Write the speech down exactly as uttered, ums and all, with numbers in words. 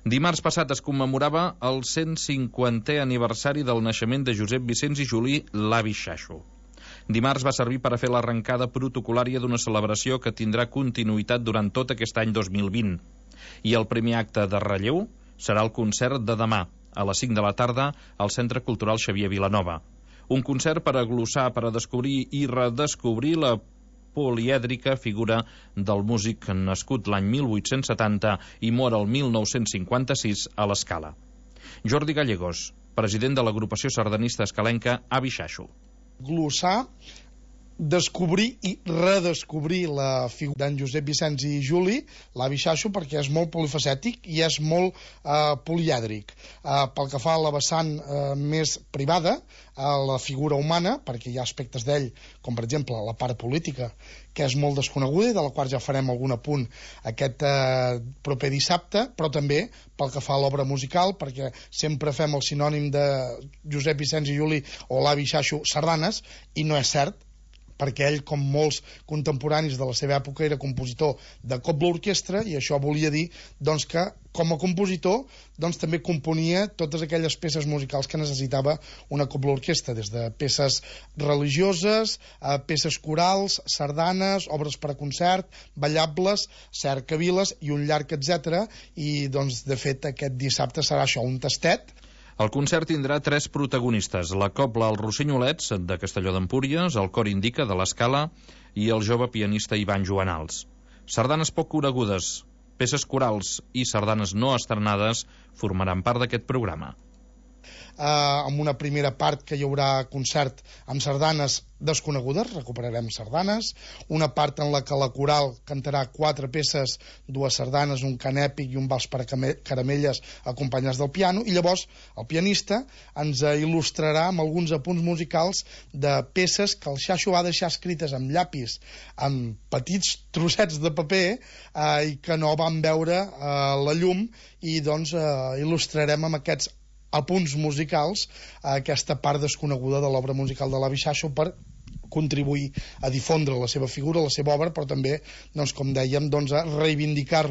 Dimarts passat es commemorava el cent cinquantè aniversari del naixement de Josep Vicenç i Juli, l'avi Xaxo. Dimarts va servir per a fer l'arrencada protocolària d'una celebració que tindrà continuïtat durant tot aquest any dos mil vint. I el primer acte de relleu serà el concert de demà, a les cinc de la tarda, al Centre Cultural Xavier Vilanova. Un concert per a glossar, per a descobrir i redescobrir la polièdrica figura del músic nascut l'any mil vuit-cents setanta i mor el mil nou-cents cinquanta-sis a l'Escala. Jordi Gallegos, president de l'agrupació sardanista escalenca Avi Xaxo. Glossar, descobrir i redescobrir la figura d'en Josep Vicenç i Juli, l'avi Xaxo, perquè és molt polifacètic i és molt eh, polièdric. Eh, pel que fa a la vessant eh, més privada, a la figura humana, perquè hi ha aspectes d'ell, com per exemple la part política, que és molt desconeguda i de la qual ja farem algun apunt aquest eh, proper dissabte, però també pel que fa a l'obra musical, perquè sempre fem el sinònim de Josep Vicenç i Juli o l'avi Xaxo sardanes, i no és cert, perquè ell, com molts contemporanis de la seva època, era compositor de cobla orquestra, i això volia dir doncs, que com a compositor doncs, també componia totes aquelles peces musicals que necessitava una cobla orquestra, des de peces religioses, a peces corals, sardanes, obres per a concert, ballables, cercaviles i un llarg etcètera. I doncs, de fet, aquest dissabte serà això, un tastet. El concert tindrà tres protagonistes: la cobla Els Rossenyolets, de Castelló d'Empúries, el cor Indica, de l'Escala, i el jove pianista Ivan Joanals. Sardanes poc conegudes, peces corals i sardanes no estrenades formaran part d'aquest programa. Eh, amb una primera part que hi haurà concert amb sardanes desconegudes, recuperarem sardanes, una part en la que la coral cantarà quatre peces, dues sardanes, un cant èpic i un vals per a caramelles acompanyats del piano, i llavors el pianista ens il·lustrarà amb alguns apunts musicals de peces que el Xaxo va deixar escrites amb llapis, amb petits trossets de paper, eh, i que no van veure eh, la llum, i doncs eh, il·lustrarem amb aquests apunts musicals a aquesta part desconeguda de l'obra musical de l'avi Xaxo, per contribuir a difondre la seva figura, la seva obra, però també, doncs, com dèiem, doncs, a reivindicar-la